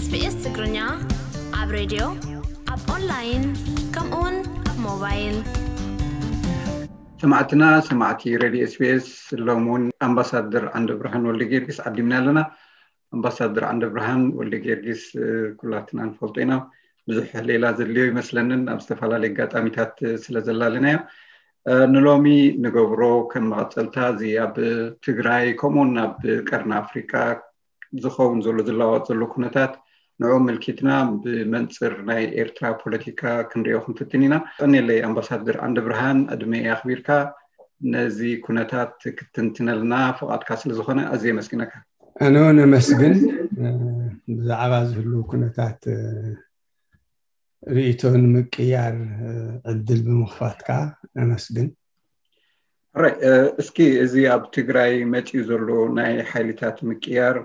SBS ትግርኛ ኣብ ሬድዮ፣ ኣብ ኦንላይን፣ ከምኡውን ኣብ ሞባይል። ሰማዕትና፣ ሰማዕቲ ሬድዮ SBS፣ ሎም እውን ኣምባሳደር ዓንደ ብርሃን ወልደ ጊዮርጊስ ዓዲምና ኣለና። ኣምባሳደር ዓንደ ብርሃን ወልደ ጊዮርጊስ ኩላትና ንፈልጦ ኢና። ብዙሕ ሌላ ዘድልዮ ይመስለንን፣ ኣብ ዝተፈላለዩ ኣጋጣሚታት ስለ ዘላለናዮ። ንሎሚ ንገብሮ ከም መቐፀልታ፣ እዚ ኣብ ትግራይ ከምኡውን ኣብ ቀርኒ ኣፍሪቃ ዝኸውን ዘሎ፣ ዝለዋወጥ ዘሎ ኩነታት፣ ንዑ ምልኪትና ብመንፅር ናይ ኤርትራ ፖለቲካ ክንሪኦ ክንፍትን ኢና። ቀኒለይ ኣምባሳደር ዓንደ ብርሃን፣ ዕድመ ኣኽቢርካ ነዚ ኩነታት ክትንትነልና ፍቓድካ ስለ ዝኾነ ኣዝየ የመስግነካ። ኣነ እውን ኣመስግን። ብዛዕባ ዝህሉ ኩነታት ርእይቶ ንምቅያር ዕድል ብምኽፋትካ ኣመስግን። ሕራይ፣ እስኪ እዚ ኣብ ትግራይ መፂኡ ዘሎ ናይ ሓይልታት ምቅያር፣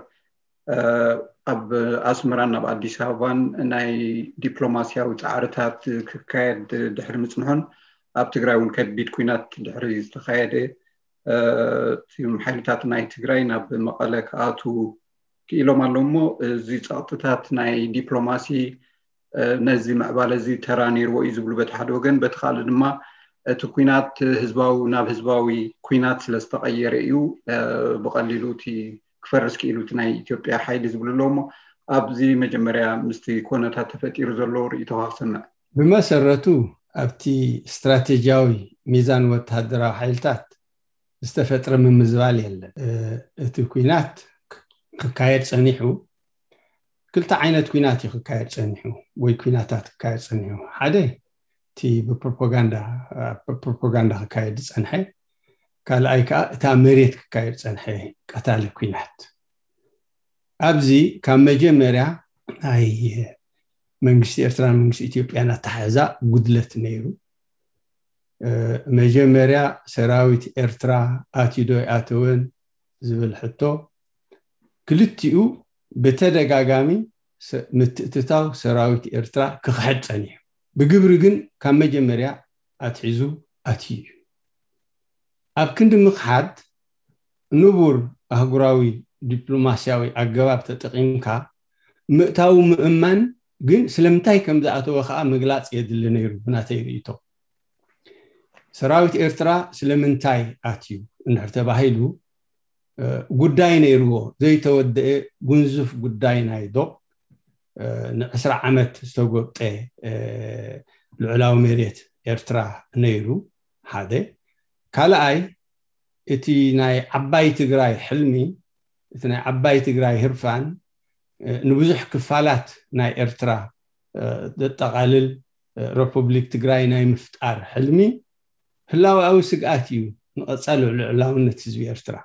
ኣብ ኣስመራን ኣብ ኣዲስ ኣበባን ናይ ዲፕሎማሲያዊ ፃዕርታት ክካየድ ድሕሪ ምፅንሑን፣ ኣብ ትግራይ እውን ከቢድ ኩናት ድሕሪ ዝተኻየደ፣ እም ሓይልታት ናይ ትግራይ ናብ መቐለ ክኣትዉ ክኢሎም ኣለዉ። እሞ እዚ ፀቕጥታት ናይ ዲፕሎማሲ ነዚ ምዕባለ እዚ ተራ ነይርዎ እዩ ዝብሉ በቲ ሓደ ወገን፣ በቲ ካልእ ድማ እቲ ኩናት ህዝባዊ ናብ ህዝባዊ ኩናት ስለ ዝተቐየረ እዩ ብቐሊሉ እቲ ክፈርስ ክኢሉ እቲ ናይ ኢትዮጵያ ሓይሊ ዝብሉ ኣለዉ። እሞ ኣብዚ መጀመርያ ምስቲ ኮነታት ተፈጢሩ ዘሎ ርእይቶኻ ክሰምዕ። ብመሰረቱ ኣብቲ ስትራቴጂያዊ ሚዛን ወተሃደራዊ ሓይልታት ዝተፈጥረ ምምዝባል የለን። እቲ ኩናት ክካየድ ጸኒሑ፣ ክልተ ዓይነት ኩናት እዩ ክካየድ ጸኒሑ፣ ወይ ኩናታት ክካየድ ጸኒሑ። ሓደ እቲ ብፕሮፓጋንዳ፣ ብፕሮፓጋንዳ ክካየድ ዝጸንሐ፣ ካልኣይ ከዓ እታ መሬት ክካየድ ጸንሐ ቀታሊ ኩናት። ኣብዚ ካብ መጀመርያ ናይ መንግስቲ ኤርትራን መንግስቲ ኢትዮጵያን ኣተሓሕዛ ጉድለት ነይሩ። መጀመርያ ሰራዊት ኤርትራ ኣትዩ ዶ ኣይኣተወን ዝብል ሕቶ፣ ክልቲኡ ብተደጋጋሚ ምትእትታው ሰራዊት ኤርትራ ክኽሕድ ጸኒሑ። ብግብሪ ግን ካብ መጀመርያ ኣትሒዙ ኣትዩ እዩ። ኣብ ክንዲ ምኽሓድ፣ ንቡር ኣህጉራዊ ዲፕሎማስያዊ ኣገባብ ተጠቒምካ ምእታዉ ምእማን፣ ግን ስለምንታይ ከም ዝኣተወ ከኣ ምግላጽ የድሊ ነይሩ። ብናተይ ርእይቶ፣ ሰራዊት ኤርትራ ስለምንታይ ኣትዩ እንድሕር ተባሂሉ፣ ጉዳይ ነይርዎ፣ ዘይተወደአ ጉንዙፍ ጉዳይ ናይ ዶብ፣ ንዕስራ ዓመት ዝተጎብጠ ልዑላዊ መሬት ኤርትራ ነይሩ። ሓደ። ካልኣይ፣ እቲ ናይ ዓባይ ትግራይ ሕልሚ፣ እቲ ናይ ዓባይ ትግራይ ህርፋን፣ ንብዙሕ ክፋላት ናይ ኤርትራ ዘጠቓልል ረፑብሊክ ትግራይ ናይ ምፍጣር ሕልሚ ህላወኣዊ ስግኣት እዩ ንቐጻሊ ልዑላውነት ህዝቢ ኤርትራ።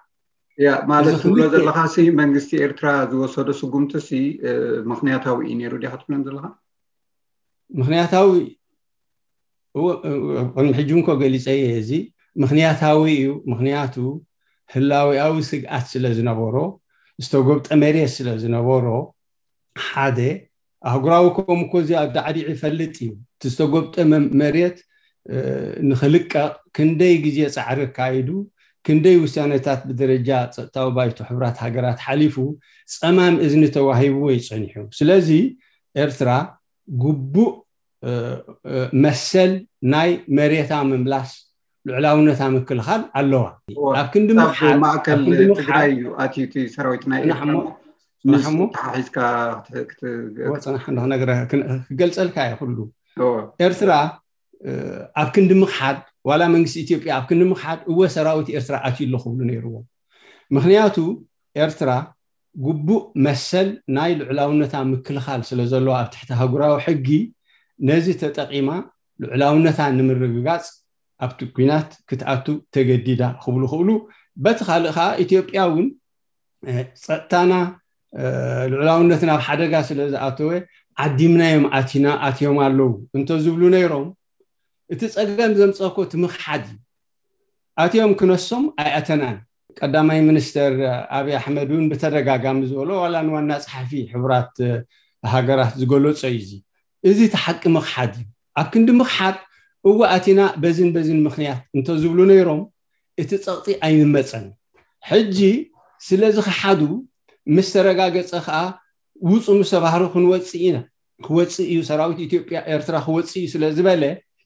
ያ፣ ማለት ትብሎ ዘለኻሲ፣ መንግስቲ ኤርትራ ዝወሰዶ ስጉምትሲ ምኽንያታዊ እዩ ነይሩ ዲኻ ትብለን ዘለኻ? ምኽንያታዊ፣ ቅድሚ ሕጂ እንኮ ገሊጸ እየ። እዚ ምኽንያታዊ እዩ። ምኽንያቱ ህላወኣዊ ስግኣት ስለ ዝነበሮ፣ ዝተጎብጠ መሬት ስለ ዝነበሮ፣ ሓደ። ኣህጉራዊ ኮም እኮ እዚ ኣብ ዳዕዲዕ ይፈልጥ እዩ። እቲ ዝተጎብጠ መ-፣ መሬት ንኽልቀቕ ክንደይ ግዜ ጻዕሪ ኣካይዱ፣ ክንደይ ውሳነታት ብደረጃ ጸጥታዊ ባይቶ ሕቡራት ሃገራት ሓሊፉ ጸማም እዝኒ ተዋሂብዎ እዩ ጸኒሑ። ስለዚ ኤርትራ ግቡእ መሰል ናይ መሬታ ምምላስ፣ ልዑላውነታ ምክልኻል ኣለዋ። ኣብ ክንዲ ምኽሓድ፣ ማእከል ትግራይ እዩ ኣትዩ እቲ ሰራዊት ናይ ኤርትራ። ጽናሕሞ፣ ጽናሕሞ። ተሓሒዝካ ክትገልጸልካ እየ ኩሉ። ኤርትራ ኣብ ክንዲ ምኽሓድ፣ ዋላ መንግስቲ ኢትዮጵያ ኣብ ክንዲ ምኽሓድ፣ እወ ሰራዊት ኤርትራ ኣትዩ ኣሎ ክብሉ ነይርዎም። ምኽንያቱ ኤርትራ ግቡእ መሰል ናይ ልዑላውነታ ምክልኻል ስለ ዘለዋ ኣብ ትሕቲ ኣህጉራዊ ሕጊ፣ ነዚ ተጠቒማ ልዑላውነታ ንምርግጋጽ ኣብቲ ኲናት ክትኣቱ ተገዲዳ ክብሉ ክብሉ፣ በቲ ካልእ ከኣ ኢትዮጵያ እውን ጸጥታና፣ ልዑላውነትና ኣብ ሓደጋ ስለ ዝኣተወ ዓዲምናዮም ኣቲና፣ ኣትዮም ኣለዉ እንተዝብሉ ነይሮም፣ እቲ ጸገም ዘምጸእኮ እቲ ምኽሓድ እዩ። ኣትዮም ክነሶም ኣይኣተናን። ቀዳማይ ሚኒስተር ኣብይ ኣሕመድ እውን ብተደጋጋሚ ዝበሎ፣ ዋላ ንዋና ጸሓፊ ሕቡራት ሃገራት ዝገለጾ እዩ። እዚ፣ እዚ እቲ ሓቂ ምኽሓድ እዩ። ኣብ ክንዲ ምኽሓድ፣ እወ ኣቲና በዝን በዝን ምኽንያት እንተዝብሉ ነይሮም፣ እቲ ጸቕጢ ኣይምመጸን። ሕጂ ስለ ዝኸሓዱ ምስ ተረጋገጸ ከኣ ውፁ ምስ ተባህሩ ክንወፅእ ኢና፣ ክወፅእ እዩ ሰራዊት ኢትዮጵያ ኤርትራ ክወፅእ እዩ ስለ ዝበለ፣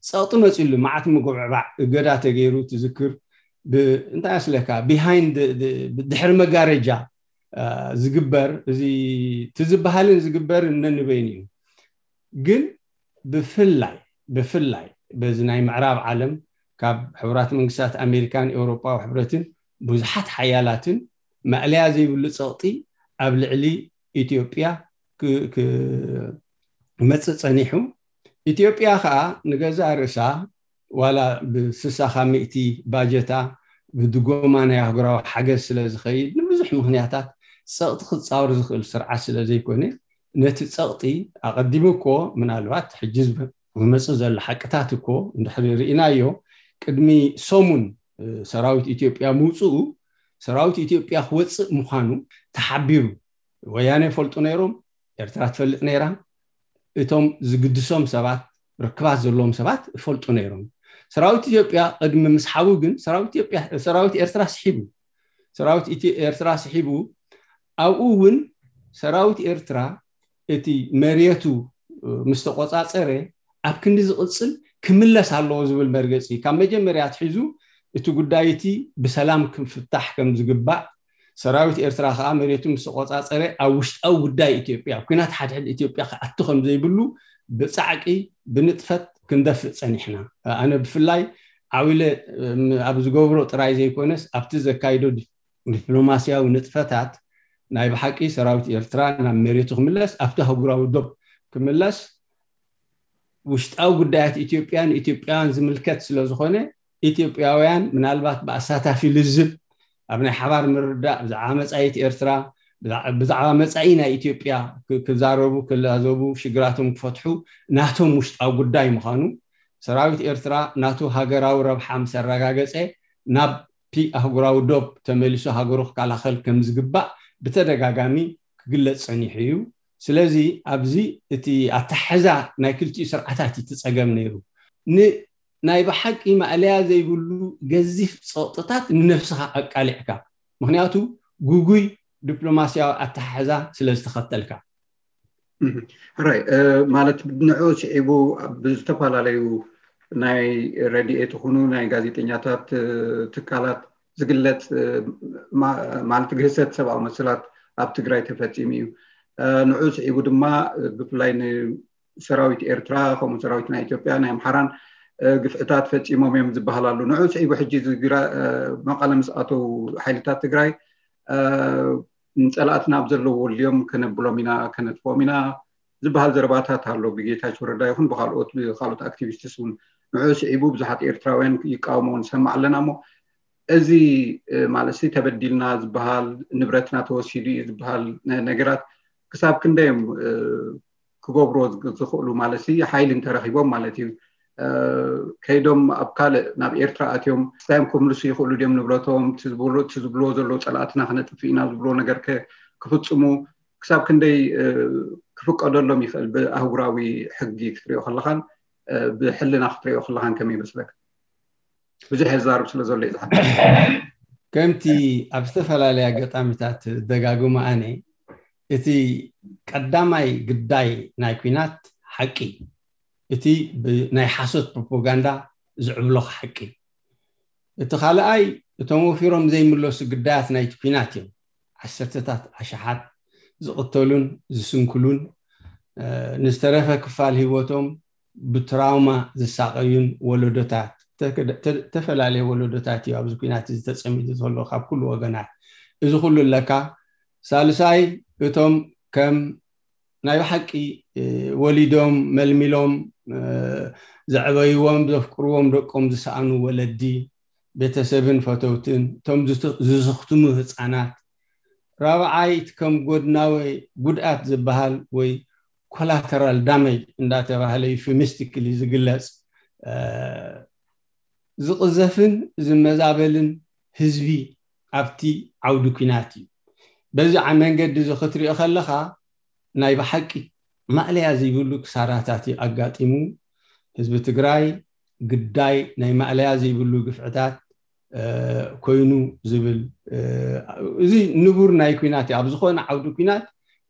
ፀቕጢ መፂሉ፣ መዓት ምጉዕባዕ፣ እገዳ ተገይሩ ትዝክር። እንታይ ኣስለካ፣ ቢሃይንድ፣ ድሕሪ መጋረጃ ዝግበር፣ እዚ ትዝበሃልን ዝግበርን ነንበይን እዩ። ግን ብፍላይ ብፍላይ በዚ ናይ ምዕራብ ዓለም፣ ካብ ሕቡራት መንግስታት ኣሜሪካን ኤውሮጳዊ ሕብረትን ብዙሓት ሓያላትን፣ ማእለያ ዘይብሉ ፀቕጢ ኣብ ልዕሊ ኢትዮጵያ ክመፅእ ፀኒሑ። ኢትዮጵያ ከዓ ንገዛ ርእሳ ዋላ ብስሳ ካብ ሚእቲ ባጀታ ብድጎማ ናይ ኣህጉራዊ ሓገዝ ስለ ዝኸይድ፣ ንብዙሕ ምክንያታት ፀቕጢ ክፃወር ዝኽእል ስርዓት ስለ ዘይኮነ፣ ነቲ ፀቕጢ ኣቐዲሙ እኮ፣ ምናልባት ሕጂ ዝመፅእ ዘሎ ሓቅታት እኮ እንድሕሪ ርኢናዮ፣ ቅድሚ ሰሙን ሰራዊት ኢትዮጵያ ምውፅኡ፣ ሰራዊት ኢትዮጵያ ክወፅእ ምዃኑ ተሓቢሩ። ወያነ ይፈልጡ ነይሮም፣ ኤርትራ ትፈልጥ ነይራ። እቶም ዝግድሶም ሰባት፣ ርክባት ዘለዎም ሰባት ይፈልጡ ነይሮም። ሰራዊት ኢትዮጵያ ቅድሚ ምስሓቡ ግን ሰራዊት ኤርትራ ስሒቡ፣ ሰራዊት ኤርትራ ስሒቡ፣ ኣብኡ እውን ሰራዊት ኤርትራ እቲ መሬቱ ምስ ተቆፃፀረ፣ ኣብ ክንዲ ዝቕፅል ክምለስ ኣለዎ ዝብል መርገፂ ካብ መጀመርያ ኣትሒዙ፣ እቲ ጉዳይ እቲ ብሰላም ክፍታሕ ከም ዝግባእ፣ ሰራዊት ኤርትራ ከዓ መሬቱ ምስ ተቆፃፀረ፣ ኣብ ውሽጣዊ ጉዳይ ኢትዮጵያ፣ ኣብ ኲናት ሓድሕድ ኢትዮጵያ ክኣቱ ከም ዘይብሉ ብፃዕቂ ብንጥፈት ክንደፍእ ፀኒሕና። ኣነ ብፍላይ ዓው ኢለ ኣብ ዝገብሮ ጥራይ ዘይኮነስ፣ ኣብቲ ዘካይዶ ዲፕሎማስያዊ ንጥፈታት፣ ናይ ብሓቂ ሰራዊት ኤርትራ ናብ መሬቱ ክምለስ፣ ኣብቲ ኣህጉራዊ ዶብ ክምለስ፣ ውሽጣዊ ጉዳያት ኢትዮጵያ ንኢትዮጵያውያን ዝምልከት ስለ ዝኾነ፣ ኢትዮጵያውያን ምናልባት ብኣሳታፊ ልዝብ ኣብ ናይ ሓባር ምርዳእ ብዛዕባ መጻኢት ኤርትራ፣ ብዛዕባ መጻኢ ናይ ኢትዮጵያ ክዛረቡ፣ ክላዘቡ፣ ሽግራቶም ክፈትሑ ናቶም ውሽጣዊ ጉዳይ ምዃኑ፣ ሰራዊት ኤርትራ ናቱ ሃገራዊ ረብሓ ምስ ኣረጋገጸ፣ ናብቲ ኣህጉራዊ ዶብ ተመሊሱ ሃገሩ ክከላኸል ከም ዝግባእ ብተደጋጋሚ ክግለጽ ጸኒሑ እዩ። ስለዚ ኣብዚ እቲ ኣተሓሕዛ ናይ ክልቲኡ ስርዓታት እዩ እቲ ጸገም ነይሩ። ናይ ብሓቂ ማእለያ ዘይብሉ ገዚፍ ጸቕጥታት ንነብስኻ ኣቃሊዕካ፣ ምኽንያቱ ግጉይ ዲፕሎማስያዊ ኣተሓሕዛ ስለ ዝተኸተልካ። ሕራይ፣ ማለት ንዑ ስዒቡ ብዝተፈላለዩ ናይ ረድኤት ይኹኑ ናይ ጋዜጠኛታት ትካላት ዝግለጽ፣ ማለት ግህሰት ሰብኣዊ መሰላት ኣብ ትግራይ ተፈጺሙ እዩ። ንዑ ስዒቡ ድማ ብፍላይ ሰራዊት ኤርትራ ከምኡ ሰራዊት ናይ ኢትዮጵያ ናይ ኣምሓራን ግፍዕታት ፈፂሞም እዮም ዝበሃል ኣሎ። ንዑ ስዒቡ ሕጂ መቐለ ምስ ኣተው ሓይልታት ትግራይ ንፀላእትና ኣብ ዘለዎ ወልዮም ከነብሎም ኢና፣ ከነጥፍኦም ኢና ዝበሃል ዘረባታት ኣሎ ብጌታቸው ረዳ ይኹን ብካልኦት ብካልኦት ኣክቲቪስትስ እውን። ንዑ ስዒቡ ብዙሓት ኤርትራውያን ይቃወሞ ንሰማዕ ኣለና። እሞ እዚ ማለት ተበዲልና ዝበሃል ንብረትና ተወሲዱ እዩ ዝበሃል ነገራት ክሳብ ክንደይ እዮም ክገብርዎ ዝኽእሉ ማለት ሓይሊ እንተረኺቦም ማለት እዩ። ከይዶም ኣብ ካልእ ናብ ኤርትራ ኣትዮም ክስታዮም ክምልሱ ይኽእሉ ድዮም ንብረቶም? ዝብልዎ ዘለዉ ፀላእትና ክነጥፍ ኢና ዝብልዎ ነገር ክፍፅሙ ክሳብ ክንደይ ክፍቀደሎም ይኽእል? ብኣህጉራዊ ሕጊ ክትሪኦ ከለኻን ብሕልና ክትሪኦ ከለኻን ከመይ ይመስለካ? ብዙሕ የዛርብ ስለ ዘሎ ይዝሓ ከምቲ ኣብ ዝተፈላለየ ኣጋጣሚታት ደጋግሞ ኣነ፣ እቲ ቀዳማይ ግዳይ ናይ ኲናት ሓቂ፣ እቲ ብናይ ሓሶት ፕሮፓጋንዳ ዝዕብለኽ ሓቂ፣ እቲ ካልኣይ እቶም ወፊሮም ዘይምለሱ ግዳያት ናይቲ ኲናት እዮም። ዓሰርተታት ኣሽሓት ዝቕተሉን ዝስንክሉን፣ ንዝተረፈ ክፋል ህይወቶም ብትራውማ ዝሳቐዩን ወለዶታት፣ ዝተፈላለየ ወለዶታት እዩ ኣብዚ ኲናት እዚ ተፀሚዱ ዘሎ ካብ ኩሉ ወገናት። እዚ ኩሉ ኣለካ። ሳልሳይ እቶም ከም ናይ ብሓቂ ወሊዶም መልሚሎም ዘዕበይዎም ዘፍቅርዎም ደቆም ዝሰኣኑ ወለዲ፣ ቤተሰብን ፈተውትን፣ እቶም ዝስኽትሙ ህፃናት፣ ራብዓይ እቲ ከም ጎድናዊ ጉድኣት ዝበሃል ወይ ኮላተራል ዳሜጅ እንዳተባህለ ዩፊሚስቲክሊ ዝግለፅ ዝቕዘፍን ዝመዛበልን ህዝቢ ኣብቲ ዓውዲ ኲናት እዩ። በዚ መንገዲ እዚ ክትሪኦ ከለኻ ናይ ብሓቂ ማእለያ ዘይብሉ ክሳራታት እዩ ኣጋጢሙ። ህዝቢ ትግራይ ግዳይ ናይ ማእለያ ዘይብሉ ግፍዕታት ኮይኑ ዝብል፣ እዚ ንቡር ናይ ኲናት እዩ። ኣብ ዝኾነ ዓውዲ ኲናት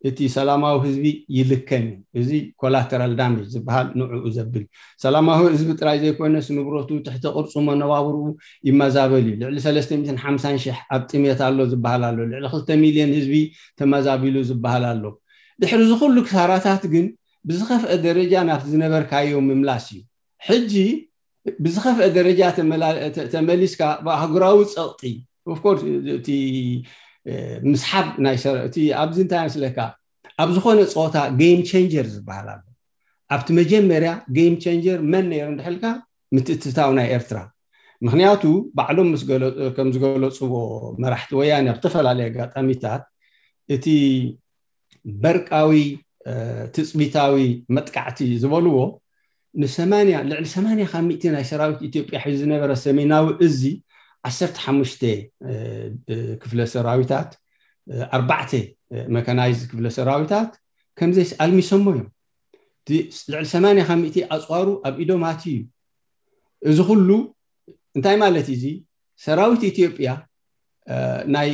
እቲ ሰላማዊ ህዝቢ ይልከም እዩ። እዚ collateral damage ዝበሃል ንዕኡ ዘብል፣ ሰላማዊ ህዝቢ ጥራይ ዘይኮነስ ንብረቱ፣ ትሕቲ ቅርጹ፣ መነባብርኡ ይመዛበል እዩ። ልዕሊ ሰለስተ ሚእትን ሓምሳን ሽሕ ኣብ ጥሜት ኣሎ ዝበሃል ኣሎ። ልዕሊ ክልተ ሚልዮን ህዝቢ ተመዛቢሉ ዝበሃል ኣሎ። ድሕሪ እዚ ኩሉ ክሳራታት ግን ብዝኸፍአ ደረጃ ናብቲ ዝነበርካዮ ምምላስ እዩ። ሕጂ ብዝኸፍአ ደረጃ ተመላ- ተ- ተመሊስካ ብኣህጉራዊ ጸቕጢ፣ of course፣ እቲ ምስሓብ ናይ ሰረ እቲ ኣብዚ እንታይ መስለካ፣ ኣብ ዝኾነ ጸወታ game changer ዝበሃል ኣሎ። ኣብቲ መጀመርያ game changer መን ነይሩ እንድሕልካ፣ ምትእትታው ናይ ኤርትራ። ምክንያቱ ባዕሎም ምስ ገለ- ከም ዝገለፅዎ፣ መራሕቲ ወያኔ ኣብ ዝተፈላለየ ኣጋጣሚታት እቲ በርቃዊ ትፅቢታዊ መጥቃዕቲ ዝበልዎ ንሰማንያ ልዕሊ ሰማንያ ካብ ሚእቲ ናይ ሰራዊት ኢትዮጵያ ሒዙ ዝነበረ ሰሜናዊ እዚ ዓሰርተ ሓሙሽተ ክፍለ ሰራዊታት፣ ኣርባዕተ መካናይዝ ክፍለ ሰራዊታት ከምዘይ ኣልሚሶሞ እዮም። ልዕሊ ሰማንያ ካብ ሚእቲ ኣፅዋሩ ኣብ ኢዶም ኣትዩ እዩ። እዚ ኩሉ እንታይ ማለት እዩ? እዚ ሰራዊት ኢትዮጵያ ናይ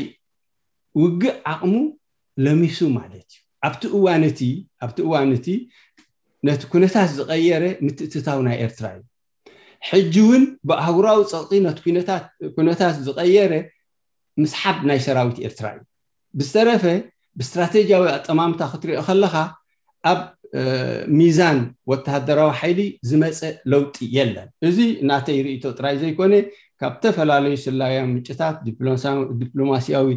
ውግእ ዓቕሙ ለሚሱ ማለት እዩ። ኣብቲ እዋን እቲ ኣብቲ እዋን እቲ ነቲ ኩነታት ዝቐየረ ምትእትታው ናይ ኤርትራ እዩ። ሕጂ እውን ብኣህጉራዊ ፀቕጢ ነቲ ኩነታት ዝቐየረ ምስሓብ ናይ ሰራዊት ኤርትራ እዩ። ብዝተረፈ ብስትራቴጂያዊ ኣጠማምታ ክትሪኦ ከለኻ ኣብ ሚዛን ወተሃደራዊ ሓይሊ ዝመፀ ለውጢ የለን። እዚ ናተይ ርእይቶ ጥራይ ዘይኮነ ካብ ዝተፈላለዩ ስለያዊ ምንጭታት፣ ዲፕሎማሲያዊ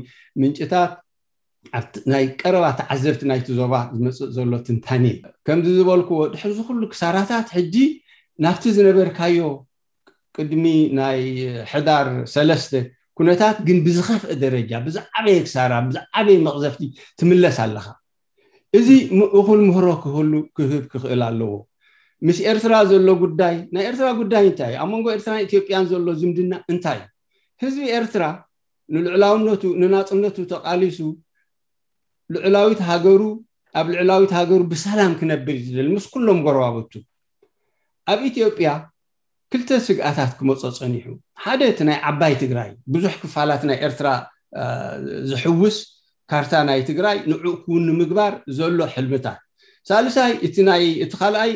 ምንጭታት፣ ናይ ቀረባ ተዓዘብቲ ናይቲ ዞባ ዝመፅእ ዘሎ ትንታኔ እዩ። ከምዚ ዝበልክዎ ድሕሪ ዝኩሉ ክሳራታት ሕጂ ናብቲ ዝነበርካዮ ቅድሚ ናይ ሕዳር ሰለስተ ኩነታት ግን ብዝኸፍአ ደረጃ ብዝዓበየ ክሳራ ብዝዓበየ መቕዘፍቲ ትምለስ ኣለኻ። እዚ እኹል ምህሮ ክህሉ ክህብ ክኽእል ኣለዎ። ምስ ኤርትራ ዘሎ ጉዳይ ናይ ኤርትራ ጉዳይ እንታይ እዩ? ኣብ መንጎ ኤርትራን ኢትዮጵያን ዘሎ ዝምድና እንታይ እዩ? ህዝቢ ኤርትራ ንልዕላውነቱ ንናፅነቱ ተቓሊሱ ልዕላዊት ሃገሩ ኣብ ልዕላዊት ሃገሩ ብሰላም ክነብር ዝደል ምስ ኩሎም ጎረባብቱ ኣብ ኢትዮጵያ ክልተ ስግኣታት ክመፆ ፀኒሑ። ሓደ እቲ ናይ ዓባይ ትግራይ ብዙሕ ክፋላት ናይ ኤርትራ ዝሕውስ ካርታ ናይ ትግራይ ንዕኡ ክውን ንምግባር ዘሎ ሕልምታት። ሳልሳይ እቲ ናይ እቲ ካልኣይ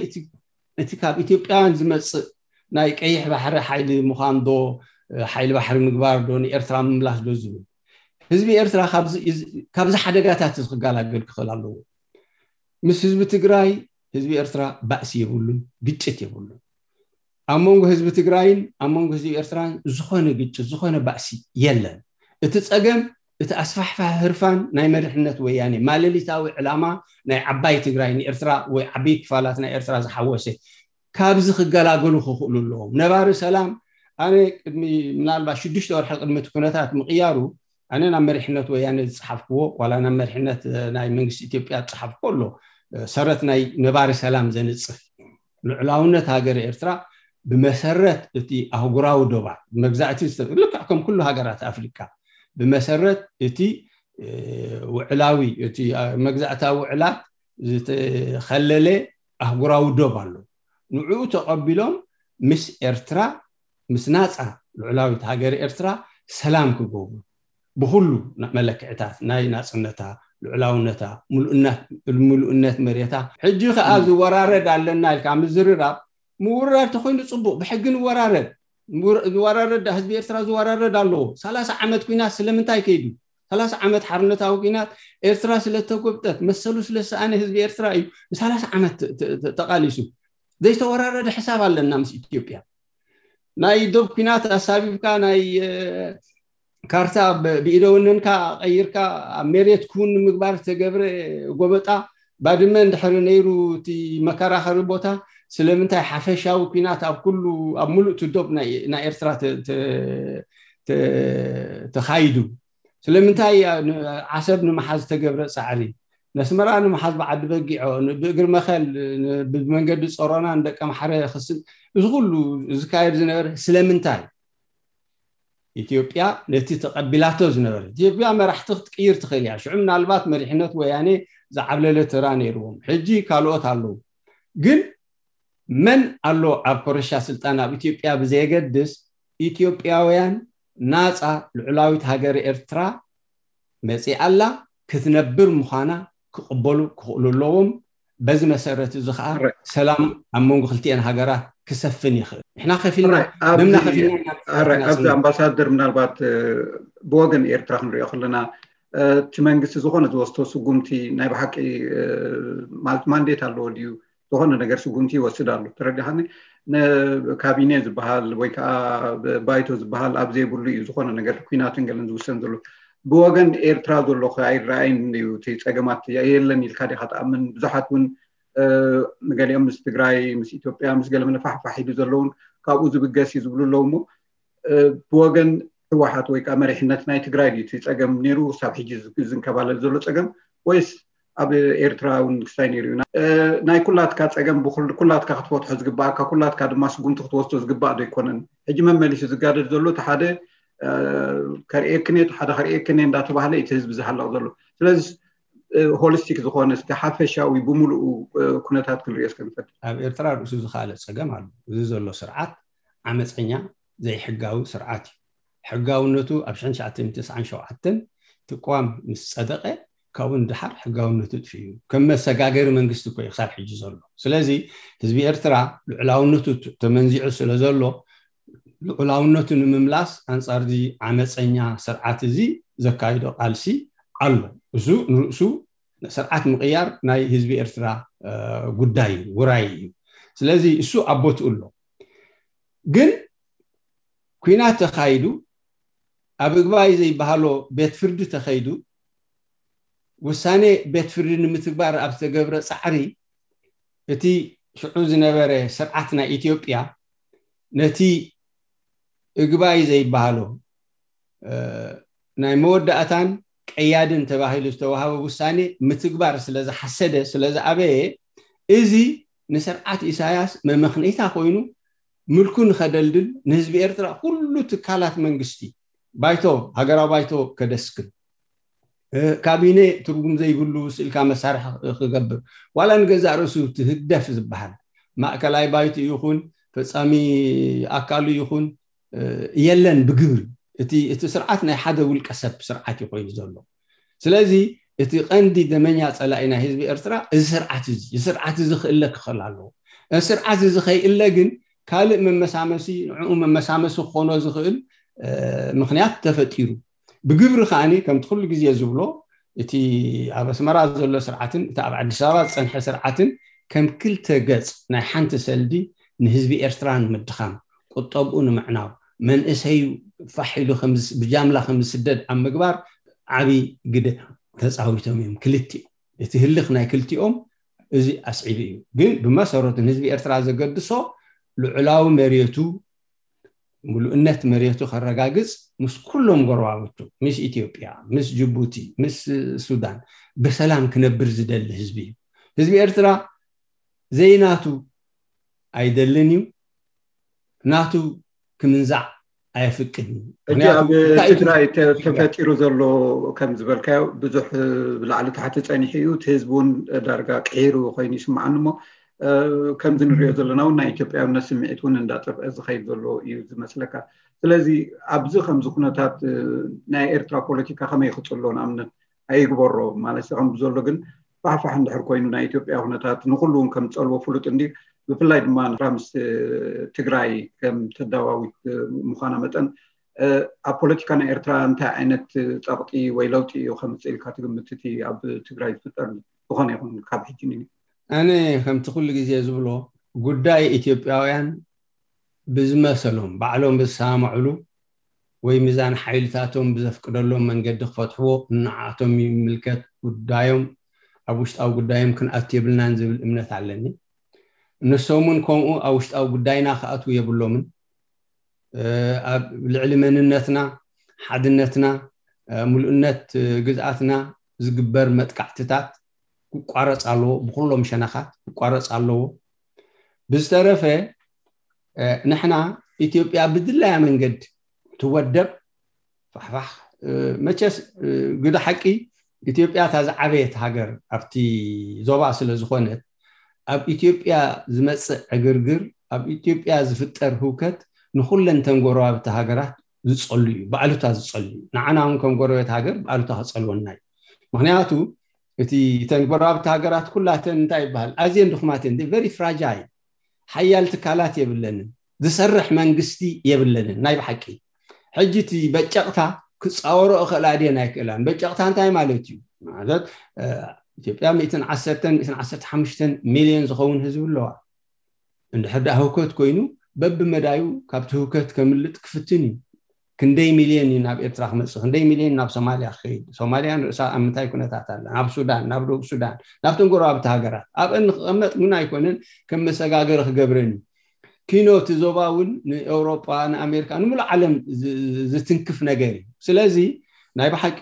እቲ ካብ ኢትዮጵያውያን ዝመፅእ ናይ ቀይሕ ባሕሪ ሓይሊ ምዃን ዶ ሓይሊ ባሕሪ ምግባር ዶ ንኤርትራ ምምላስ ዶ ዝብል ህዝቢ ኤርትራ ካብዚ ሓደጋታት እዚ ክገላገል ክኽእል ኣለዎ። ምስ ህዝቢ ትግራይ ህዝቢ ኤርትራ ባእሲ የብሉን፣ ግጭት የብሉን። ኣብ መንጎ ህዝቢ ትግራይን ኣብ መንጎ ህዝቢ ኤርትራን ዝኾነ ግጭት ዝኾነ ባእሲ የለን። እቲ ፀገም እቲ ኣስፋሕፋሒ ህርፋን ናይ መሪሕነት ወያኔ ማለሊታዊ ዕላማ ናይ ዓባይ ትግራይ ንኤርትራ ወይ ዓበይ ክፋላት ናይ ኤርትራ ዝሓወሰ ካብዚ ክገላገሉ ክኽእሉ ኣለዎም። ነባሪ ሰላም ኣነ ቅድሚ ምናልባት ሽዱሽተ ወርሒ ቅድሚ እቲ ኩነታት ምቕያሩ ኣነ ናብ መሪሕነት ወያነ ዝፀሓፍክዎ ዋላ ናብ መሪሕነት ናይ መንግስቲ ኢትዮጵያ ዝፀሓፍክዎ ኣሎ ሰረት ናይ ነባሪ ሰላም ዘንፅፍ ልዕላውነት ሃገር ኤርትራ ብመሰረት እቲ ኣህጉራዊ ዶባት መግዛእቲ ልክዕ ከም ኩሉ ሃገራት ኣፍሪካ ብመሰረት እቲ ውዕላዊ እቲ መግዛእታዊ ውዕላት ዝተኸለለ ኣህጉራዊ ዶብ ኣሎ። ንዕኡ ተቐቢሎም ምስ ኤርትራ ምስ ናፃ ልዑላዊት ሃገር ኤርትራ ሰላም ክገብሩ ብኩሉ መለክዕታት ናይ ናፅነታ ልዑላውነታ ምሉእነት መሬታ ሕጂ ከዓ ዝወራረድ ኣለና ኢልካ ምዝርራብ ምውራድ ተኮይኑ ፅቡቅ ብሕጊ ንወራረድ ዝወራረድ ህዝቢ ኤርትራ ዝወራረድ ኣለዎ። ሰላሳ ዓመት ኩናት ስለምንታይ ከይዱ? ሰላሳ ዓመት ሓርነታዊ ኩናት ኤርትራ ስለተጎብጠት መሰሉ ስለሰኣነ ህዝቢ ኤርትራ እዩ ንሰላሳ ዓመት ተቃሊሱ። ዘይተወራረደ ሕሳብ ኣለና ምስ ኢትዮጵያ። ናይ ዶብ ኩናት ኣሳቢብካ ናይ ካርታ ብኢደወነንካ ቀይርካ ኣብ መሬት ክውን ንምግባር ዝተገብረ ጎበጣ ባድመ እንድሕሪ ነይሩ እቲ መከራኸሪ ቦታ ስለምንታይ ሓፈሻዊ ኩናት ኣብ ኩሉ ኣብ ሙሉእ ትዶብ ናይ ኤርትራ ተኻይዱ? ስለምንታይ ዓሰብ ንምሓዝ ዝተገብረ ፃዕሪ ነስመራ ንምሓዝ ብዓዲ በጊዖ ብእግሪ መኸል ብመንገዲ ፀሮና ንደቀ ማሕረ ክስል እዚ ኩሉ ዝካየድ ዝነበረ ስለምንታይ? ኢትዮጵያ ነቲ ተቐቢላቶ ዝነበረ ኢትዮጵያ መራሕቲ ክትቅይር ትኽእል እያ። ሽዑ ምናልባት መሪሕነት ወያኔ ዝዓብለለ ተራ ነይርዎም። ሕጂ ካልኦት ኣለዉ። ግን መን ኣሎ ኣብ ኮረሻ ስልጣን ኣብ ኢትዮጵያ ብዘየገድስ ኢትዮጵያውያን ናፃ ልዑላዊት ሃገር ኤርትራ መፂኣ ኣላ ክትነብር ምዃና ክቕበሉ ክኽእሉ ኣለዎም። በዚ መሰረት እዚ ከዓ ሰላም ኣብ መንጎ ክልቲኤን ሃገራት ክሰፍን ይኽእል። ንሕና ከፊልና ደምና ከፊልና ኣብዚ ኣምባሳደር ምናልባት ብወገን ኤርትራ ክንሪኦ ከለና እቲ መንግስቲ ዝኾነ ዝወስዶ ስጉምቲ ናይ ብሓቂ ማለት ማንዴት ኣለዎ ድዩ? ዝኾነ ነገር ስጉምቲ ይወስድ ኣሎ። ተረዲኻኒ? ካቢኔ ዝበሃል ወይ ከዓ ባይቶ ዝበሃል ኣብ ዘይብሉ እዩ ዝኾነ ነገር ኩናትን ገለን ዝውሰን ዘሎ። ብወገን ኤርትራ ዘሎ ኣይረኣይን እዩ። እቲ ፀገማት የለን ኢልካ ዲካ ትኣምን? ብዙሓት እውን ገሊኦም ምስ ትግራይ ምስ ኢትዮጵያ ምስ ገለ መለ ፋሕፋሕ ኢሉ ዘለውን ካብኡ ዝብገስ እዩ ዝብሉ ኣለዉ። እሞ ብወገን ህወሓት ወይ ከዓ መሪሕነት ናይ ትግራይ ድዩ እቲ ፀገም ነይሩ ክሳብ ሕጂ ዝንከባለል ዘሎ ፀገም ወይስ ኣብ ኤርትራ እውን ክስታይ ነይሩ እዩ? ናይ ኩላትካ ፀገም ኩላትካ ክትፈትሖ ዝግባእካ ኩላትካ ድማ ስጉምቲ ክትወስዶ ዝግባእ ዶ ኣይኮነን? ሕጂ መመሊሱ ዝጋደድ ዘሎ እቲ ሓደ ከርእየክን እቲ ሓደ ከርእየክን እንዳተባህለ እቲ ህዝቢ ዝሃለቕ ዘሎ። ስለዚ ሆሊስቲክ ዝኾነ እስቲ ሓፈሻዊ ብምሉኡ ኩነታት ክንሪኦ እስከ ንፈትሽ። ኣብ ኤርትራ ርእሱ ዝኸኣለ ፀገም ኣሎ። እዚ ዘሎ ስርዓት ዓመፀኛ ዘይሕጋዊ ስርዓት እዩ። ሕጋውነቱ ኣብ ሽሕን ትሽዓተ ሚእትን ተስዓን ሸውዓተን ትቋም ምስ ፀደቐ ካብኡ ንድሓር ሕጋውነቱ ጥፊኡ እዩ። ከም መሰጋገሪ መንግስቲ እኮ እዩ ክሳብ ሕጂ ዘሎ። ስለዚ ህዝቢ ኤርትራ ልዑላውነቱ ተመንዚዑ ስለ ዘሎ ልዑላውነቱ ንምምላስ ኣንጻር እዚ ዓመፀኛ ስርዓት እዚ ዘካይዶ ቃልሲ ኣሎ። እሱ ንርእሱ ስርዓት ምቕያር ናይ ህዝቢ ኤርትራ ጉዳይ እዩ፣ ውራይ እዩ። ስለዚ እሱ ኣብ ቦትኡ ኣሎ። ግን ኩናት ተኻይዱ ኣብ እግባይ ዘይበሃሎ ቤት ፍርዲ ተኸይዱ ውሳኔ ቤት ፍርዲ ንምትግባር ኣብ ዝተገብረ ፃዕሪ እቲ ሽዑ ዝነበረ ስርዓት ናይ ኢትዮጵያ ነቲ እግባይ ዘይበሃሎ ናይ መወዳእታን ቀያድን ተባሂሉ ዝተዋሃበ ውሳኔ ምትግባር ስለ ዝሓሰደ ስለ ዝኣበየ እዚ ንስርዓት ኢሳያስ መመኽነይታ ኮይኑ ምልኩ ንኸደልድል ንህዝቢ ኤርትራ ኩሉ ትካላት መንግስቲ ባይቶ ሃገራዊ ባይቶ ከደስክል ካቢነ ትርጉም ዘይብሉ ስኢልካ መሳርሒ ክገብር ዋላ ንገዛእ ርእሱ እቲ ህግደፍ ዝበሃል ማእከላይ ባይቶ ይኹን ፈጻሚ ኣካሉ ይኹን የለን ብግብሪ እቲ እቲ ስርዓት ናይ ሓደ ውልቀ ሰብ ስርዓት እዩ ኮይኑ ዘሎ። ስለዚ እቲ ቀንዲ ደመኛ ፀላኢ ናይ ህዝቢ ኤርትራ እዚ ስርዓት እዚ ስርዓት እዚ ክእለ ክኽእል ኣለዎ። እዚ ስርዓት እዚ ከይእለ ግን ካልእ መመሳመሲ ንዕኡ መመሳመሲ ክኾኖ ዝኽእል ምኽንያት ተፈጢሩ ብግብሪ ከዓኒ ከምቲ ኩሉ ግዜ ዝብሎ እቲ ኣብ ኣስመራ ዘሎ ስርዓትን እቲ ኣብ ኣዲስ ኣበባ ዝፀንሐ ስርዓትን ከም ክልተ ገፅ ናይ ሓንቲ ሰልዲ ንህዝቢ ኤርትራ ንምድኻም ቁጠብኡ ንምዕናው መንእሰዩ ፋሕ ኢሉ ብጃምላ ከም ዝስደድ ኣብ ምግባር ዓብዪ ግደ ተፃዊቶም እዮም ክልቲኡ። እቲ ህልኽ ናይ ክልቲኦም እዚ ኣስዒቡ እዩ። ግን ብመሰረቱ ንህዝቢ ኤርትራ ዘገድሶ ልዑላዊ መሬቱ ምሉእነት መሬቱ ከረጋግፅ ምስ ኩሎም ጎረባብቱ ምስ ኢትዮጵያ ምስ ጅቡቲ ምስ ሱዳን ብሰላም ክነብር ዝደሊ ህዝቢ እዩ። ህዝቢ ኤርትራ ዘይናቱ ኣይደልን እዩ። ናቱ ክምንዛዕ ኣየፍቅድን እዩ። ሕጂ ኣብ ትግራይ ተፈጢሩ ዘሎ ከም ዝበልካዮ ብዙሕ ብላዕሊ ታሕቲ ፀኒሑ እዩ። እቲ ህዝቢ እውን ዳርጋ ቅሒሩ ኮይኑ ይስምዓኒ እሞ ከምዚ ንሪኦ ዘለና እውን ናይ ኢትዮጵያውነት ስምዒት እውን እንዳጠፍአ ዝኸይድ ዘሎ እዩ ዝመስለካ። ስለዚ ኣብዚ ከምዚ ኩነታት ናይ ኤርትራ ፖለቲካ ከመይ ክፅሎ ንኣብነት ኣይግበሮ ማለት ከም ዘሎ ግን ፋሕፋሕ እንድሕር ኮይኑ ናይ ኢትዮጵያ ኩነታት ንኩሉ እውን ከም ዝፀልዎ ፍሉጥ እንዲ ብፍላይ ድማ ምስ ትግራይ ከም ተዳዋዊት ምዃና መጠን ኣብ ፖለቲካ ናይ ኤርትራ እንታይ ዓይነት ፀቕጢ ወይ ለውጢ እዩ ከምፅእ ኢልካ ትግምት እቲ ኣብ ትግራይ ዝፍጠር ዝኾነ ይኹን ካብ ሕጂ ን ኣነ ከምቲ ኩሉ ግዜ ዝብሎ ጉዳይ ኢትዮጵያውያን ብዝመሰሎም ባዕሎም ብዝሰማምዕሉ ወይ ሚዛን ሓይልታቶም ብዘፍቅደሎም መንገዲ ክፈትሕዎ ንዓቶም ይምልከት ጉዳዮም ኣብ ውሽጣዊ ጉዳዮም ክንኣቱ የብልናን ዝብል እምነት ኣለኒ። እነሶም እውን ከምኡ ኣብ ውሽጣዊ ጉዳይና ክኣትዉ የብሎምን። ኣብ ልዕሊ መንነትና፣ ሓድነትና፣ ምሉእነት ግዝኣትና ዝግበር መጥቃዕትታት ክቋረፅ ኣለዎ፣ ብኩሎም ሸነኻት ክቋረፅ ኣለዎ። ብዝተረፈ ንሕና ኢትዮጵያ ብድላያ መንገድ ትወደብ ፋሕፋሕ መቸስ ግደ ሓቂ ኢትዮጵያ እታ ዝዓበየት ሃገር ኣብቲ ዞባ ስለ ዝኾነት ኣብ ኢትዮጵያ ዝመፅእ ዕግርግር ኣብ ኢትዮጵያ ዝፍጠር ህውከት ንኩለን ተን ጎረባብቲ ሃገራት ዝፀሉ እዩ፣ ብኣሉታ ዝፀሉ እዩ። ንዓና እውን ከም ጎረቤት ሃገር ብኣሉታ ክፀልወና እዩ። ምክንያቱ እቲ እተን ጎረባብቲ ሃገራት ኩላተን እንታይ ይበሃል ኣዝየን ድኹማት እየን፣ very fragile። ሓያል ትካላት የብለንን፣ ዝሰርሕ መንግስቲ የብለንን። ናይ ብሓቂ ሕጂ እቲ በጨቕታ ክፃወሮ እኽእላ ድየን ኣይክእላን። በጨቕታ እንታይ ማለት እዩ ማለት? ኢትዮጵያ ሚእትን ዓሰርተን ሚእትን ዓሰርተ ሓሙሽተን ሚልዮን ዝኸውን ህዝቢ ኣለዋ። እንድሕር ደኣ ህውከት ኮይኑ በብመዳዩ ካብቲ ህውከት ከምልጥ ክፍትን እዩ። ክንደይ ሚልዮን እዩ ናብ ኤርትራ ክመፅእ፣ ክንደይ ሚልዮን ናብ ሶማልያ ክኸይድ፣ ሶማልያ ንርእሳ ኣብ ምንታይ ኩነታት ኣላ፣ ናብ ሱዳን፣ ናብ ደቡብ ሱዳን፣ ናብተን ጎረባብቲ ሃገራት ኣብአን ንክቐመጥ ግን ኣይኮነን፣ ከም መሰጋገሪ ክገብረን እዩ። ኪኖ እቲ ዞባ እውን ንኤውሮጳ፣ ንኣሜሪካ፣ ንምሉእ ዓለም ዝትንክፍ ነገር እዩ። ስለዚ ናይ ብሓቂ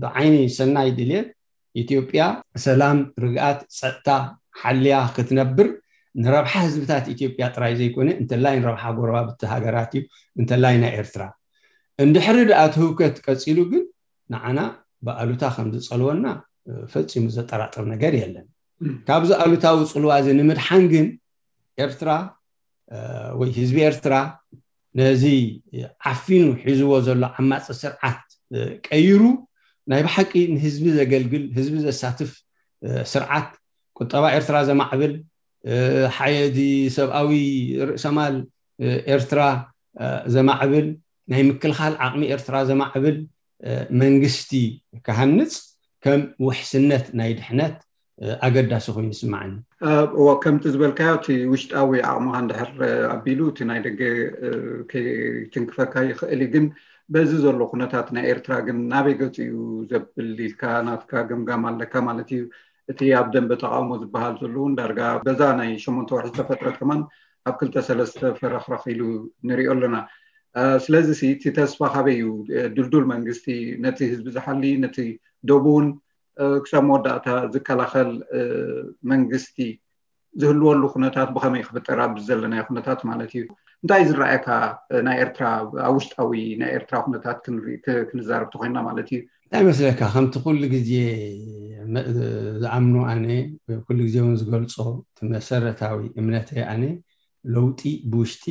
ብዓይኒ ሰናይ ድልየት ኢትዮጵያ ሰላም፣ ርግኣት፣ ፀጥታ ሓልያ ክትነብር ንረብሓ ህዝብታት ኢትዮጵያ ጥራይ ዘይኮነ እንተላይ ንረብሓ ጎረባብቲ ሃገራት እዩ፣ እንተላይ ናይ ኤርትራ። እንድሕሪ ደኣ እቲ ህውከት ቀፂሉ ግን ንዓና ብኣሉታ ከም ዝፀልወና ፈፂሙ ዘጠራጥር ነገር የለን። ካብዚ ኣሉታዊ ፅልዋ እዚ ንምድሓን ግን ኤርትራ ወይ ህዝቢ ኤርትራ ነዚ ዓፊኑ ሒዝዎ ዘሎ ዓማፂ ስርዓት ቀይሩ ናይ ብሓቂ ንህዝቢ ዘገልግል፣ ህዝቢ ዘሳትፍ ስርዓት፣ ቁጠባ ኤርትራ ዘማዕብል፣ ሓየዲ ሰብኣዊ ርእሰማል ኤርትራ ዘማዕብል፣ ናይ ምክልኻል ዓቕሚ ኤርትራ ዘማዕብል መንግስቲ ክሃንፅ ከም ውሕስነት ናይ ድሕነት ኣገዳሲ ኮይኑ ይስማዓኒ። እዎ፣ ከምቲ ዝበልካዮ እቲ ውሽጣዊ ዓቕምኻ እንድሕር ኣቢሉ እቲ ናይ ደገ ከይትንክፈካ ይኽእል እዩ። ግን በዚ ዘሎ ኩነታት ናይ ኤርትራ ግን ናበይ ገፁ እዩ ዘብል ኢልካ ናትካ ገምጋም ኣለካ ማለት እዩ? እቲ ኣብ ደንበ ተቃውሞ ዝበሃል ዘሎ እውን ዳርጋ በዛ ናይ ሸሞንተ ወርሒ ዝተፈጥረት ከማን ኣብ ክልተ ሰለስተ ፈረኽረኽ ኢሉ ንሪኦ ኣለና። ስለዚ እቲ ተስፋ ካበይ እዩ? ድልዱል መንግስቲ ነቲ ህዝቢ ዝሓሊ፣ ነቲ ዶብ እውን ክሳብ መወዳእታ ዝከላኸል መንግስቲ ዝህልወሉ ኩነታት ብኸመይ ክፍጠር ኣብ ዘለናዮ ኩነታት ማለት እዩ? እንታይ ዝረኣየካ ናይ ኤርትራ ኣብ ውሽጣዊ ናይ ኤርትራ ኩነታት ክንዛረብ ተኮይና ማለት እዩ? እንታይ መስለካ፣ ከምቲ ኩሉ ግዜ ዝኣምኖ ኣነ፣ ኩሉ ግዜ እውን ዝገልፆ፣ እቲ መሰረታዊ እምነተይ ኣነ ለውጢ ብውሽጢ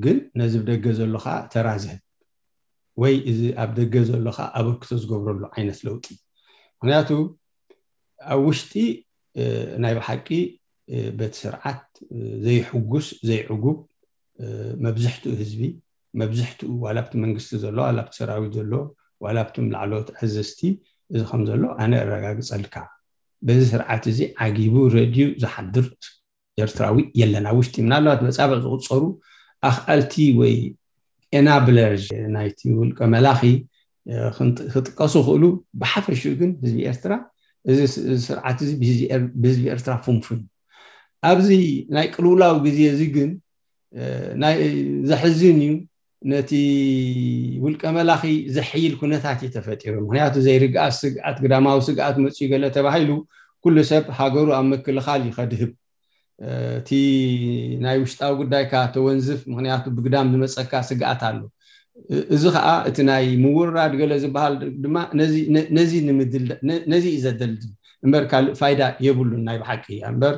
ግን ነዚ ብደገ ዘሎ ከዓ ተራ ዝህብ ወይ እዚ ኣብ ደገ ዘሎ ከዓ ኣበርክቶ ዝገብረሉ ዓይነት ለውጢ። ምክንያቱ ኣብ ውሽጢ ናይ ብሓቂ በቲ ስርዓት ዘይሕጉስ ዘይዕጉብ መብዝሕትኡ ህዝቢ፣ መብዝሕትኡ ዋላ ኣብቲ መንግስቲ ዘሎ ዋላ ኣብቲ ሰራዊት ዘሎ ዋላ ኣብቶም ላዕለዎት ኣዘዝቲ እዚ ከም ዘሎ ኣነ እረጋግፀልካ። በዚ ስርዓት እዚ ዓጊቡ ረድዩ ዝሓድር ኤርትራዊ የለን ኣብ ውሽጢ። ምናልባት በፃብዕ ዝቁፀሩ ኣኽኣልቲ ወይ enablers ናይቲ ውልቀ መላኺ ክጥቀሱ ይኽእሉ። ብሓፈሽኡ ግን ህዝቢ ኤርትራ እዚ ስርዓት እዚ ብህዝቢ ኤርትራ ፍንፉን። ኣብዚ ናይ ቅልውላው ግዜ እዚ ግን ናይ ዘሕዝን እዩ። ነቲ ውልቀ መላኺ ዘሕይል ኩነታት እዩ ተፈጢሩ። ምክንያቱ ዘይርግኣት ስግኣት፣ ግዳማዊ ስግኣት መፅኡ ገለ ተባሂሉ ኩሉ ሰብ ሃገሩ ኣብ ምክልኻል እዩ ከድህብ። እቲ ናይ ውሽጣዊ ጉዳይካ ተወንዝፍ፣ ምክንያቱ ብግዳም ዝመፀካ ስግኣት ኣሎ። እዚ ከዓ እቲ ናይ ምውራድ ገለ ዝበሃል ድማ ነዚ እዩ ዘደልድል እምበር ካልእ ፋይዳ የብሉን። ናይ ብሓቂ እምበር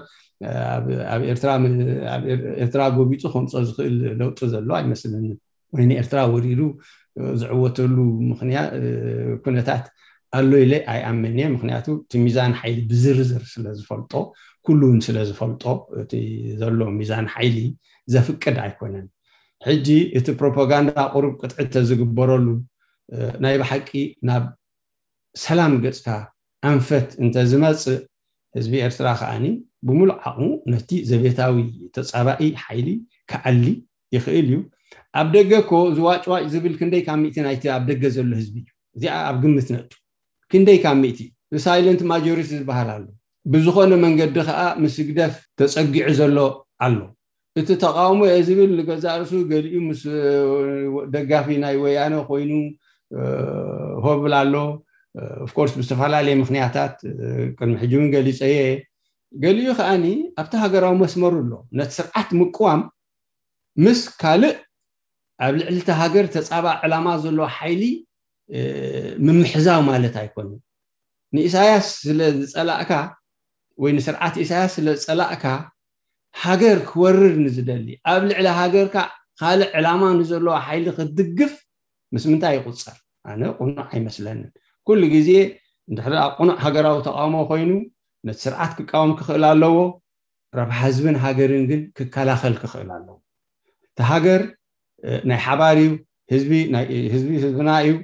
ኣብ ኤርትራ ጎቢጡ ከምፆ ዝኽእል ለውጢ ዘሎ ኣይመስለንን። ወይ ንኤርትራ ወሪሩ ዝዕወተሉ ምክንያት ኩነታት ኣሎ ኢለ ኣይኣምን እየ። ምክንያቱ እቲ ሚዛን ሓይሊ ብዝርዝር ስለዝፈልጦ፣ ኩሉ እውን ስለዝፈልጦ፣ እቲ ዘሎ ሚዛን ሓይሊ ዘፍቅድ ኣይኮነን። ሕጂ እቲ ፕሮፓጋንዳ ቁሩብ ቅጥዒ ተዝግበረሉ ናይ ብሓቂ ናብ ሰላም ገፅካ ኣንፈት እንተዝመፅእ ህዝቢ ኤርትራ ከዓኒ ብምሉእ ዓቕሙ ነቲ ዘቤታዊ ተፃባኢ ሓይሊ ክዓሊ ይኽእል እዩ። ኣብ ደገ እኮ ዝዋጭዋጭ ዝብል ክንደይ ካብ ሚእቲ ናይቲ ኣብ ደገ ዘሎ ህዝቢ እዩ። እዚኣ ኣብ ግምት ነእቱ። ክንደይ ካብ ሚእቲ ሳይለንት ማጆሪቲ ዝበሃል ኣሎ። ብዝኾነ መንገዲ ከዓ ምስ ህግደፍ ተፀጊዑ ዘሎ ኣሎ። እቲ ተቃውሞ እየ ዝብል ንገዛእ ርእሱ ገሊኡ ምስ ደጋፊ ናይ ወያነ ኮይኑ ሆብል ኣሎ። ኦፍኮርስ ብዝተፈላለየ ምክንያታት ቅድሚ ሕጂ እውን ገሊፀ እየ። ገሊኡ ከዓኒ ኣብቲ ሃገራዊ መስመሩ ኣሎ። ነቲ ስርዓት ምቅዋም ምስ ካልእ ኣብ ልዕሊ እቲ ሃገር ተፃባኢ ዕላማ ዘለዎ ሓይሊ ምምሕዛው ማለት ኣይኮንን። ንኢሳያስ ስለ ዝፀላእካ ወይ ንስርዓት ኢሳያስ ስለ ዝፀላእካ ሃገር ክወርር ንዝደሊ ኣብ ልዕሊ ሃገርካ ካልእ ዕላማ ንዘለዎ ሓይሊ ክትድግፍ ምስ ምንታይ ይቁፀር? ኣነ ቁኑዕ ኣይመስለንን። ኩሉ ግዜ እንድሕር ደኣ ቅኑዕ ሃገራዊ ተቃውሞ ኮይኑ ነቲ ስርዓት ክቃወም ክኽእል ኣለዎ። ረብሓ ህዝብን ሃገርን ግን ክከላኸል ክኽእል ኣለዎ። እቲ ሃገር ናይ ሓባር እዩ። ህዝቢ ህዝብና እዩ።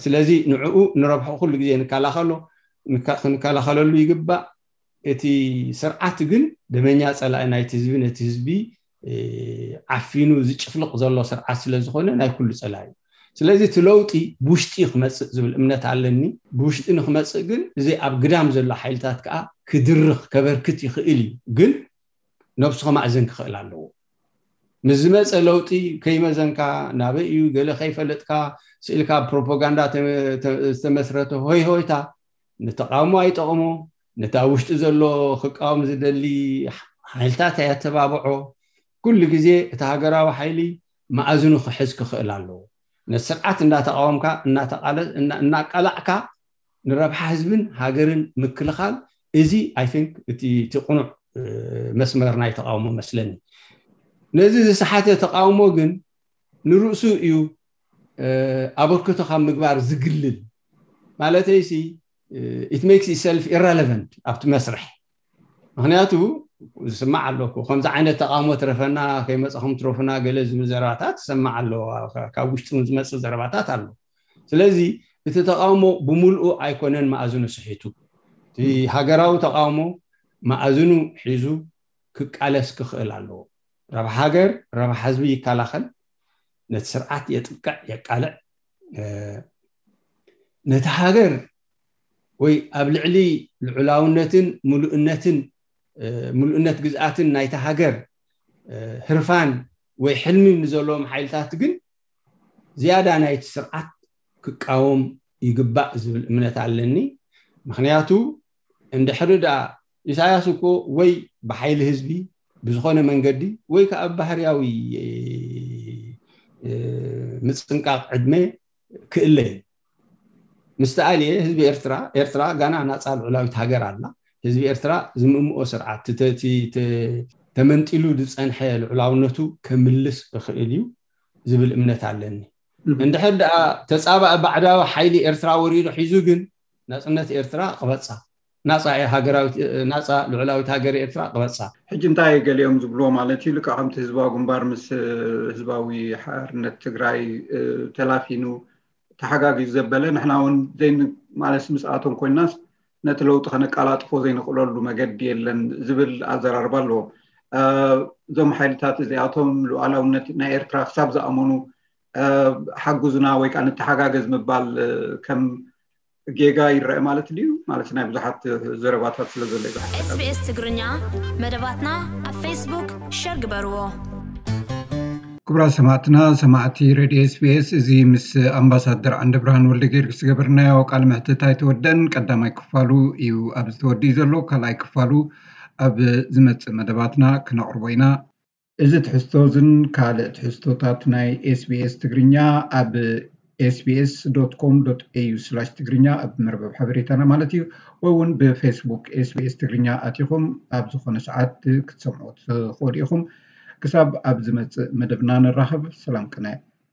ስለዚ ንዕኡ ንረብሑ ኩሉ ግዜ ንከላኸሎ ክንከላኸለሉ ይግባእ። እቲ ስርዓት ግን ደመኛ ፀላኢ ናይቲ ህዝቢ ነቲ ህዝቢ ዓፊኑ ዝጭፍልቕ ዘሎ ስርዓት ስለዝኾነ ናይ ኩሉ ፀላኢ እዩ። ስለዚ እቲ ለውጢ ብውሽጢ ክመፅእ ዝብል እምነት ኣለኒ። ብውሽጢ ንክመፅእ ግን እዚ ኣብ ግዳም ዘሎ ሓይልታት ከዓ ክድርኽ ከበርክት ይኽእል እዩ። ግን ነብሱ ከማእዘን ክኽእል ኣለዎ። ምስ ዝመፀ ለውጢ ከይመዘንካ ናበይ እዩ ገለ ከይፈለጥካ ስኢልካ ፕሮፓጋንዳ ዝተመስረተ ሆይ ሆይታ ንተቃውሞ ኣይጠቕሞ። ነቲ ኣብ ውሽጢ ዘሎ ክቃወም ዝደሊ ሓይልታት ኣየተባብዖ። ኩሉ ግዜ እቲ ሃገራዊ ሓይሊ መኣዝኑ ክሕዝ ክኽእል ኣለዎ። ነቲ ስርዓት እንዳተቃወምካ እናቃላዕካ ንረብሓ ህዝብን ሃገርን ምክልኻል፣ እዚ I think እቲ ቅኑዕ መስመር ናይ ተቃውሞ መስለኒ። ነዚ ዝሰሓተ ተቃውሞ ግን ንርእሱ እዩ ኣበርክቶ ካብ ምግባር ዝግልል። ማለተይሲ it makes itself irrelevant ኣብቲ መስርሕ። ምክንያቱ ዝስማዕ ኣለኩ ከምዚ ዓይነት ተቃውሞ ትረፈና ከይመፀኹም ትረፉና ገለ ዝብል ዘረባታት ዝሰማዕ ኣሎ። ካብ ውሽጢ እውን ዝመፅእ ዘረባታት ኣሎ። ስለዚ እቲ ተቃውሞ ብምልኡ ኣይኮነን መኣዝኑ ስሒቱ። እቲ ሃገራዊ ተቃውሞ መኣዝኑ ሒዙ ክቃለስ ክኽእል ኣለዎ። ረብሓ ሃገር ረብሓ ህዝቢ ይከላኸል። ነቲ ስርዓት የጥቅዕ የቃልዕ። ነቲ ሃገር ወይ ኣብ ልዕሊ ልዑላውነትን ምሉእነትን ምሉእነት ግዝኣትን ናይቲ ሃገር ህርፋን ወይ ሕልሚ ንዘለዎም ሓይልታት ግን ዝያዳ ናይቲ ስርዓት ክቃወም ይግባእ ዝብል እምነት ኣለኒ። ምክንያቱ እንድሕሪ ደኣ ኢሳያስ እኮ ወይ ብሓይሊ ህዝቢ ብዝኾነ መንገዲ ወይ ከዓ ብባህርያዊ ምፅንቃቕ ዕድመ ክእለ እዩ። ምስ ተኣልየ ህዝቢ ኤርትራ ኤርትራ ጋና ናፃ ልዑላዊት ሃገር ኣላ። ህዝቢ ኤርትራ ዝምእምኦ ስርዓት ተመንጢሉ ዝፀንሐ ልዑላውነቱ ከምልስ እኽእል እዩ ዝብል እምነት ኣለኒ። እንድሕር ደኣ ተፃባኢ ባዕዳዊ ሓይሊ ኤርትራ ወሪዱ ሒዙ ግን ናፅነት ኤርትራ ቅበፃ ናፃ ሃገራዊት ናፃ ልዑላዊት ሃገር ኤርትራ ቅበፃ። ሕጂ እንታይ ገሊኦም ዝብልዎ ማለት እዩ ልክዕ ከምቲ ህዝባዊ ግንባር ምስ ህዝባዊ ሓርነት ትግራይ ተላፊኑ ተሓጋጊዙ ዘበለ ንሕና እውን ዘይማለስ ምስኣቶም ኮይናስ ነቲ ለውጢ ከነቃላጥፎ ዘይንኽእለሉ መገዲ የለን ዝብል ኣዘራርባ ኣለዎም። እዞም ሓይልታት እዚኣቶም ሉዓላውነት ናይ ኤርትራ ክሳብ ዝኣመኑ ሓጉዝና ወይ ከዓ ንተሓጋገዝ ምባል ከም ጌጋ ይረአ ማለት ድዩ? ማለት ናይ ብዙሓት ዘረባታት ስለ ዘሎ እዩ። SBS ትግርኛ መደባትና ኣብ ፌስቡክ ሸር ግበርዎ። ክቡራት ሰማዕትና ሰማዕቲ ሬድዮ SBS እዚ ምስ ኣምባሳደር ዓንደብርሃን ወልደ ጊዮርጊስ ዝገበርናዮ ቃለ መሕትት ኣይተወደን። ቀዳማይ ክፋሉ እዩ ኣብዚ ተወዲኡ ዘሎ። ካልኣይ ክፋሉ ኣብ ዝመጽእ መደባትና ክነቕርቦ ኢና። እዚ ትሕዝቶ እዝን ካልእ ትሕዝቶታት ናይ SBS ትግርኛ ኣብ sbs.com.au/ትግርኛ ኣብ መርበብ ሓበሬታና ማለት እዩ። ወይ እውን ብፌስቡክ SBS ትግርኛ ኣቲኹም ኣብ ዝኾነ ሰዓት ክትሰምዑ ትኽእሉ ኢኹም። ክሳብ ኣብ ዝመጽእ መደብና ንራኸብ። ሰላም ቅነ።